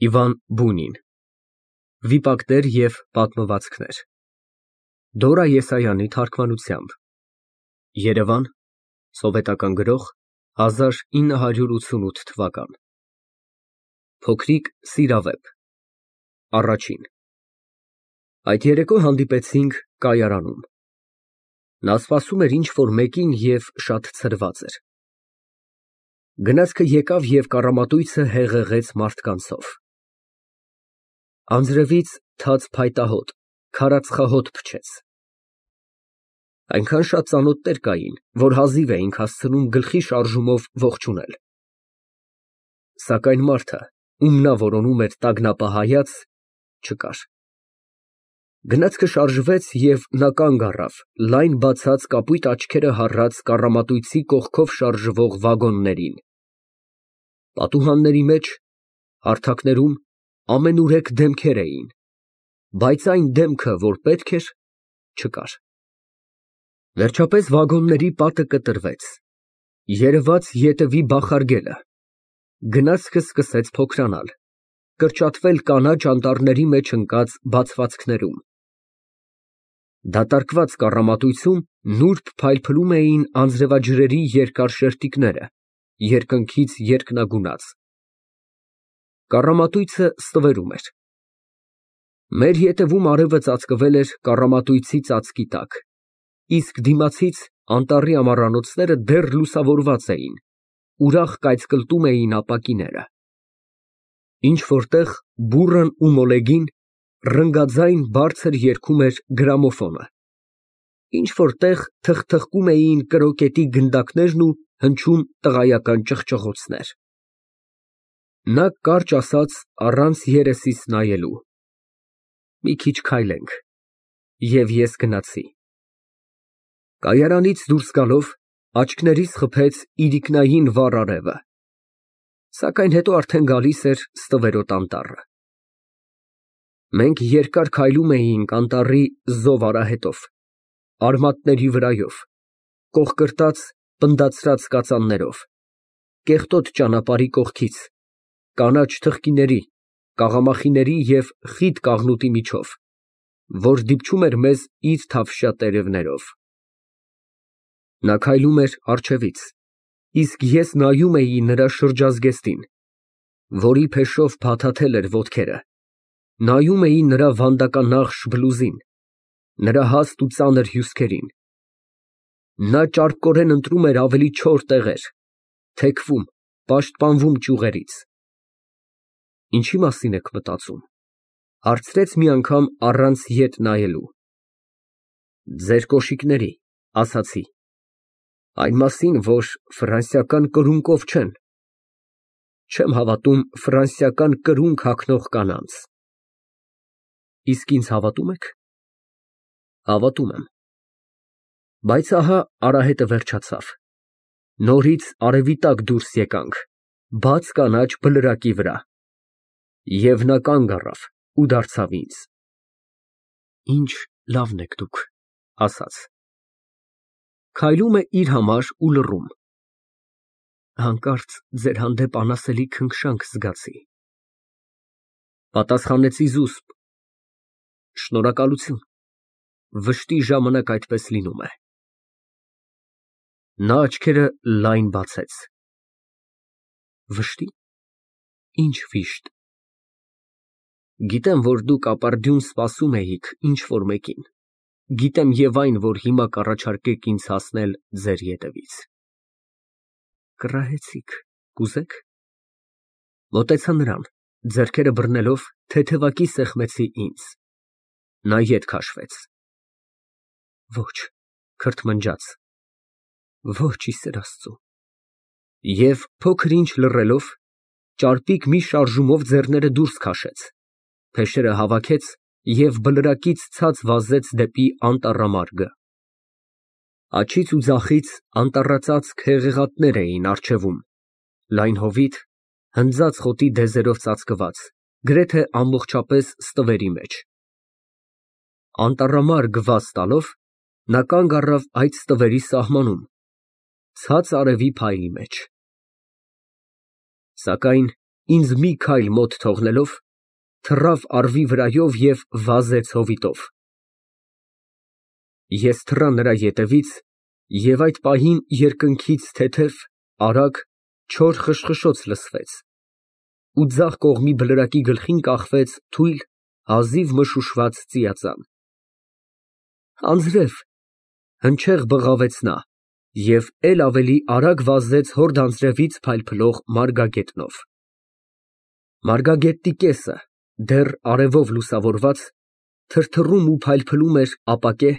Իվան Բունին Վիպակներ և պատմվածքներ Դորա Եսայանի թարգմանությամբ Երևան Սովետական Գրող 1988 թվական Փոքրիկ սիրավեպ Առաջին Այդ երեկո հանդիպեցինք կայարանում Նա սպասում էր ինչ-որ մեկին և շատ ցրված էր Գնացքը եկավ և կառամատույցը հեղեղեց մարդկանցով Անձրևից թաց փայտահոտ, քարածխահոտ փչեց Այնքան շատ ծանոթներ կային, որ հազիվ էինք հասցնում գլխի շարժումով ողջունել Սակայն մարդը, ում նա որոնում էր տագնապահայաց, չկար Գնացքը շարժվեց և նա կանգ առավ լայն բացած կապույտ աչքերը հառած կառամատույցի կողքով շարժվող վագոններին Պատուհանների մեջ, հարթակներում ամենուրեք դեմքեր էին, բայց այն դեմքը, որ պետք էր, չկար Վերջապես վագոնների պատը կտրվեց, երևաց ետևի բախարգելը, գնացքը սկսեց փոքրանալ, կրճատվել կանաչ անտառների մեջ ընկած բացվածքներում Դատարկված կառամատույցում նուրբ փայլփլում էին անձրևաջրերի երկար շերտիկները, երկնքից երկնագունած Կառամատույցը ստվերում էր Մեր ետևում արևը ծածկվել էր կառամատույցի ծածկի տակ, իսկ դիմացից անտառի ամառանոցները դեռ լուսավորված էին, ուրախ կայծկլտում էին ապակիները Ինչ֊որ տեղ բուռն ու մոլեգին ռնգաձայն բարձր երգում էր գրամոֆոնը, ինչ֊որ տեղ թխթխկում էին կրոկետի գնդակներն ու հնչում տղայական ճղճղոցներ Նա կարճ ասաց առանց երեսիս նայելու. Մի քիչ քայլենք, և ես գնացի Կայարանից դուրս գալով աչքներիս խփեց իրիկնային վառ արևը, սակայն հետո արդեն գալիս էր ստվերոտ անտառը Մենք երկար քայլում էինք անտառի զով արահետով, արմատների վրայով, կոխկրտած, պնդացրած կածաններով, կեղտոտ ճանապարհի կողքից, կանաչ թխկիների, կաղամախիների և խիտ կաղնուտի միջով, որ դիպչում էր մեզ իր թավշյա տերևներով Նա քայլում էր առջևից, իսկ ես նայում էի նրա շրջազգեստին, որի փեշով փաթաթել էր ոտքերը, նայում էի նրա վանդականախշ բլուզին, նրա հաստ ու ծանր հյուսքերին Նա ճարպկորեն ընտրում էր ավելի չոր տեղեր, թեքվում, պաշտպանվում ճյուղերից Ինչի՞ մասին եք մտածում, հարցրեց մի անգամ առանց ետ նայելու Ձեր կոշիկների, ասացի Այն մասին, որ ֆրանսիական կրունկով չեն Չեմ հավատում ֆրանսիական կրունկ հագնող կանանց Իսկ ինձ հավատում եք Հավատում եմ Բայց ահա արահետը վերջացավ Նորից արևի տակ դուրս եկանք բաց կանաչ բլրակի վրա Եվ նա կանգ առավ ու դարձավ ինձ Ինչ լավն եք դուք, ասաց Քայլում է իր համար ու լռում Հանկարծ ձեր հանդեպ անասելի քնքշանք զգացի Պատասխանեցի զուսպ Շնորհակալություն, վշտի ժամանակ այդպես լինում է Նա աչքերը լայն բացեց Վշտի՞, ինչ վիշտ Գիտեմ, որ դուք ապարդյուն սպասում էիք ինչ֊որ մեկին Գիտեմ և այն, որ հիմա կառաջարկեք ինձ հասնել ձեր ետևից Կռահեցիք, կուզե՞ք Մոտեցա նրան, ձեռքերը բռնելով թեթևակի սեղմեցի ինձ Նա ետ քաշվեց Ոչ, քրթմնջաց Ոչ, ի սեր Աստծո Եվ փոքր-ինչ լռելով, ճարպիկ մի շարժումով ձեռները դուրս քաշեց, փեշերը հավաքեց և բլրակից ցած վազեց դեպի անտառամարգը Աջից ու ձախից անտառածածկ հեղեղատներ էին առջևում, լայն հովիտ, հնձած խոտի դեզերով ծածկված, գրեթե ամբողջապես ստվերի մեջ Անտառամարգ վազ տալով, նա կանգ առավ այդ ստվերի սահմանում, ցած արևի փայլի մեջ Սակայն ինձ մի քայլ մոտ թողնելով, թռավ առվի վրայով և վազեց հովիտով։ Ես թռա նրա ետևից և այդ պահին երկնքից թեթև, արագ, չոր խշխշոց լսվեց, ու ձախ կողմի բլրակի գլխին կախվեց թույլ, հազիվ մշուշված ծիածան։ Անձրև, հնչեղ բղավեց նա և էլ ավելի արագ վազեց հորդ անձրևից փայլփլող մարգագետնով։ Մարգագետնի կեսը, դեռ արևով լուսավորված, թրթռում ու փայլփլում էր ապակե,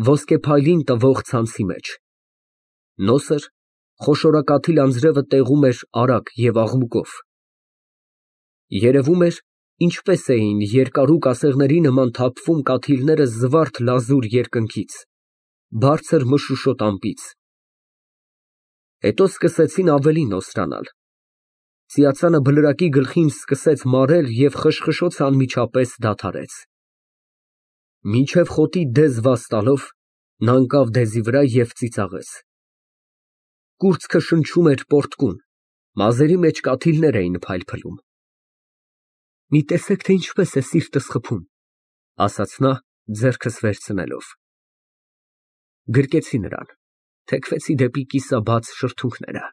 ոսկեփայլին տվող ցանցի մեջ։ Նոսր, խոշորակաթիլ անձրևը տեղում էր արագ և աղմուկով։ Երևում էր, ինչպես էին երկարուկ ասեղների նման թափվում կաթիլները զվարթ լազուր երկնքից, բարձր մշուշոտ ամպից։ Հետո սկսեցին ավելի նոսրանալ։ Ծիածանը բլրակի գլխին սկսեց մարել և խշխշոցը անմիջապես դադարեց։ Մինչև խոտի դեզ վազ տալով, նա ընկավ դեզի վրա և ծիծաղեց։ Կուրծքը շնչում էր պոռթկուն, մազերի մեջ կաթիլներ էին փայլփլում։ Մի տեսեք, թե ինչպես է սիրտս խփում, ասաց նա, ձեռքս վերցնելով։ Գրկեցի նրան, թեքվեցի դեպի կիսաբաց շրթունքները։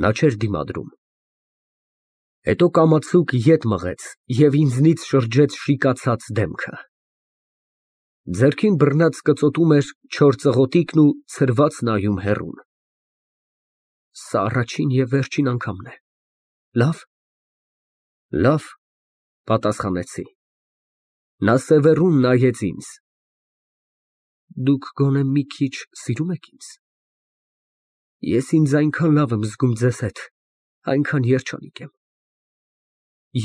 Նա չէր դիմադրում։ Հետո կամացուկ ետ մղեց և ինձնից շրջեց շիկացած դեմքը։ Ձեռքին բռնած կծոտում էր չոր ծղոտիքն ու ցրված նայում հեռուն։ Սա առաջին և վերջին անգամն է։ Լավ։ Լավ, պատասխանեցի։ Նա սևեռուն նայեց ինձ։ Դուք գոնե մի քիչ սիրո՞ւմ եք ինձ։ Ես ինձ այնքան լավ եմ զգում ձեզ հետ, այնքան երջանիկ եմ։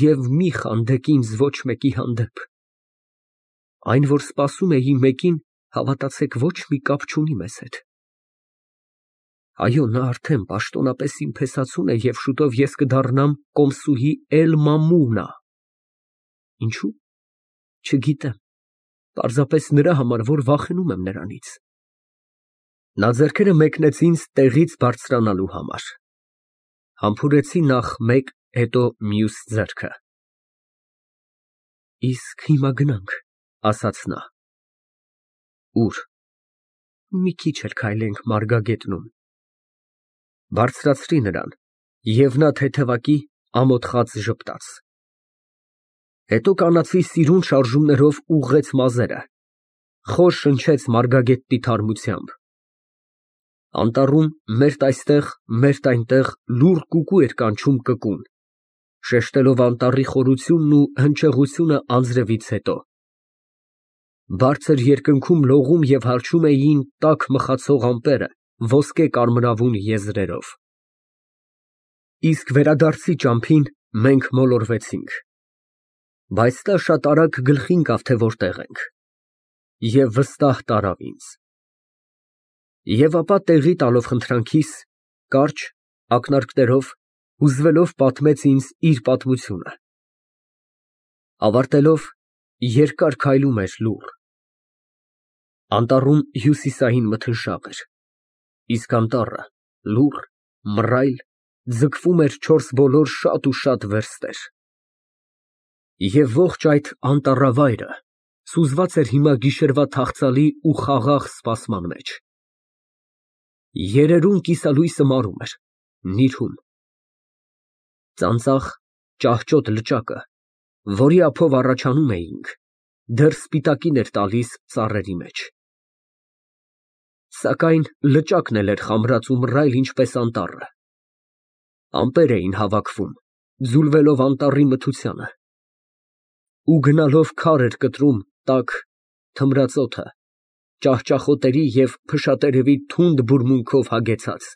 Եվ մի խանդեք ինձ ոչ մեկի հանդեպ։ Այն, որ սպասում էի մեկին, հավատացեք, ոչ մի կապ չունի մեզ հետ։ Այո, նա արդեն պաշտոնապես իմ փեսացուն է և շուտով ես կդառնամ կոմսուհի Էլ֊Մամունա։ Ինչո՞ւ։ Չգիտեմ, պարզապես նրա համար, որ վախենում եմ նրանից։ Նա ձեռքերը մեկնեց ինձ տեղից բարձրանալու համար։ Համբուրեցի նախ մեկ, հետո մյուս ձեռքը։ Իսկ հիմա գնանք, ասաց նա։ Ո՞ւր։ Մի քիչ էլ քայլենք մարգագետնում։ Բարձրացրի նրան, և նա թեթևակի ամոթխած ժպտաց։ Հետո կանացի սիրուն շարժումներով ուղղեց մազերը, խոր շնչեց մարգագետնի թարմությամբ։ Անտառում մերթ այստեղ, մերթ այնտեղ լուռ կուկու էր կանչում կկուն, շեշտելով անտառի խորությունն ու հնչեղությունը անձրևից հետո։ Բարձր երկնքում լողում և հառչում էին տաք մխացող ամպերը ոսկե կարմրավուն եզրերով։ Իսկ վերադարձի ճամփին մենք մոլորվեցինք։ Բայց նա շատ արագ գլխի ընկավ, թե որտեղ ենք, և վստահ տարավ ինձ։ Եվ ապա տեղի տալով խնդրանքիս, կարճ, ակնարկներով, հուզվելով պատմեց ինձ իր պատմությունը։ Ավարտելով, երկար քայլում էր լուռ։ Անտառում հյուսիսային մթնշաղ էր, իսկ անտառը լուռ, մռայլ, ձգվում էր չորս բոլոր շատ ու շատ վերստեր։ Եվ ողջ այդ անտառավայրը սուզված էր հիմա գիշերվա թախծալի ու խաղաղ սպասման մեջ։ Երերուն կիսալույսը մարում էր, նիրհում։ Ծանծաղ, ճահճոտ լճակը, որի ափով առաջանում էինք, դեռ սպիտակին էր տալիս ծառերի մեջ։ Սակայն լճակն էլ էր խամրած ու մռայլ ինչպես անտառը։ Ամպեր էին հավաքվում, ձուլվելով անտառի մթությանը։ Ու գնալով քար էր կտրում տաք, թմրածոթը, ճահճախոտերի և փշատերևի թունդ բուրմունքով հագեցած։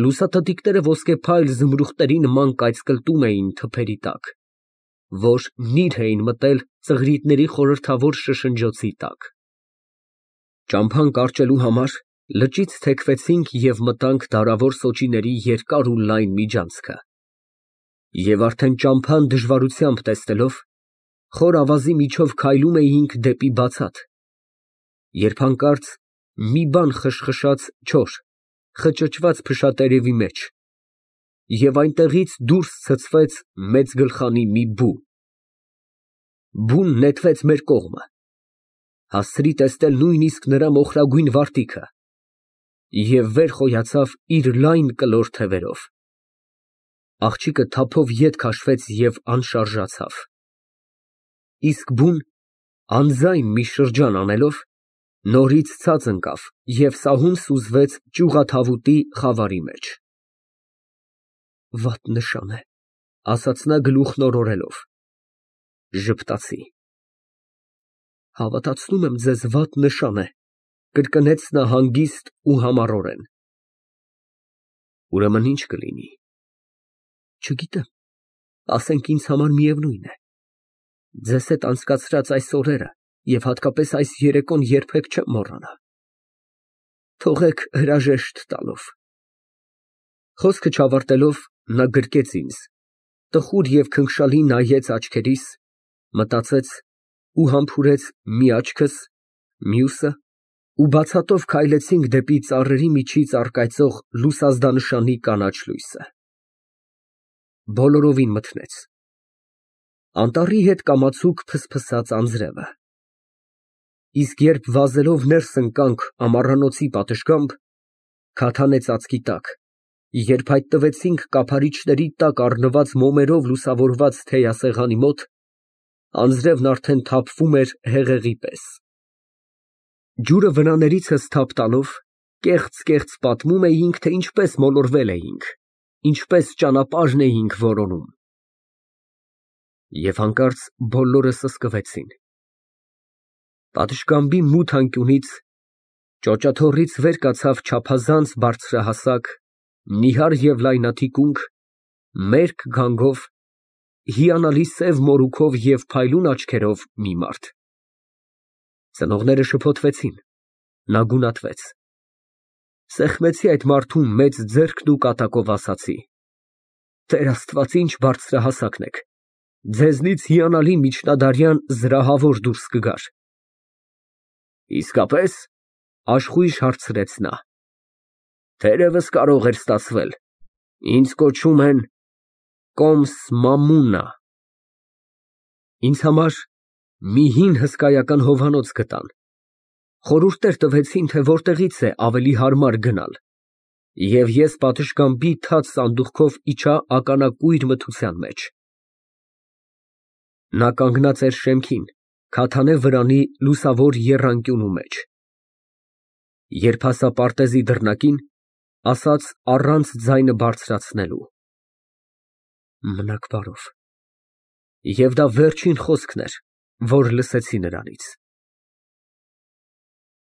Լուսաթթիկները ոսկեփայլ զմրուխտերի նման կայծկլտում էին թփերի տակ, որ նիրհ էին մտել ծղրիդների խորհրդավոր շշնջոցի տակ։ Ճամփան կարճելու համար լճից թեքվեցինք և մտանք դարավոր սոճիների երկար ու լայն միջանցքը։ Եվ արդեն ճամփան դժվարությամբ տեսնելով, խոր ավազի միջով քայլում էինք դեպի բացատ, երբ հանկարծ մի բան խշխշաց չոր, խճճված փշատերևի մեջ, և այնտեղից դուրս ցցվեց մեծ գլխանի մի բու։ Բուն նետվեց մեր կողմը, հասցրի տեսնել նույնիսկ նրա մոխրագույն վարտիքը և վեր խոյացավ իր լայն կլոր թևերով։ Աղջիկը թափով ետ քաշվեց և անշարժացավ։ Իսկ բուն, անձայն մի շրջան անելով, նորից ցած ընկավ և սահուն սուզվեց ճյուղաթավուտի խավարի մեջ։ «Վատ նշան է», ասաց նա գլուխն օրորելով, ժպտացի։ «Հավատացնում եմ ձեզ, վատ նշան է», կրկնեց նա հանգիստ ու համառորեն։ «Ուրեմն ի՞նչ կլինի»։ Չգիտեմ, ասենք ինձ համար միևնույն է։ Ձեզ հետ անցկացրած այս օրերը և հատկապես այս երեկոն երբեք չեմ մոռանա։ Թողեք հրաժեշտ տալով։ Խոսքը չավարտելով, նա գրկեց ինձ, տխուր և քնքշալի նայեց աչքերիս, մտածեց ու համբուրեց մի աչքս, մյուսը, ու բացատով քայլեցինք դեպի ծառերի միջից առկայծող լուսազդանշանի կանաչ լույսը։ Բոլորովին մթնեց։ Անտառի հետ կամացուկ ֆսֆսաց անձրևը։ Իսկ երբ վազելով ներս ընկանք ամառանոցի պատշգամբ, քաթանե ծածկի տակ, երբ հայտնվեցինք կափարիչների տակ առնված մոմերով լուսավորված թեյասեղանի մոտ, անձրևն արդեն թափվում էր հեղեղի պես։ Ջուրը վրաններիցս թափ տալով, կեղծ պատմում էինք, թե ինչպես մոլորվել էինք, ինչպես ճանապարհն էինք որոնում։ Եվ հանկարծ բոլորը սսկվեցին։ Պատշգամբի մութ անկյունից, ճոճաթոռից վեր կացավ չափազանց բարձրահասակ, նիհար և լայնաթիկունք, մերկ գանգով, հիանալի սև մորուքով և փայլուն աչքերով մի մարդ։ Ծնողները շփոթվեցին, նա գունատվեց։ Սեղմեցի այդ մարդու մեծ ձեռքն ու կատակով ասացի. «Տեր Աստված, ինչ բարձրահասակն եք, ձեզնից հիանալի միջնադարյան զրահավոր դուրս կգար»։ Իսկապե՞ս, աշխույժ հարցրեց նա։ Թերևս կարող էր ստացվել, ինձ կոչում են Կոմս Մամուննա։ Ինձ համար մի հին հսկայական հովանոց գտան, խորհուրդներ տվեցին, թե որտեղից է ավելի հարմար գնալ, և ես պատշգամբի թաց սանդուղքով իջա ականակույր մթության մեջ։ Նա կանգնած էր շեմքին, քաթանե վրանի լուսավոր եռանկյունու մեջ։ Երբ հասա պարտեզի դռնակին, ասաց առանց ձայնը բարձրացնելու. «Մնաք բարով»։ Եվ դա վերջին խոսքն էր, որ լսեցի նրանից։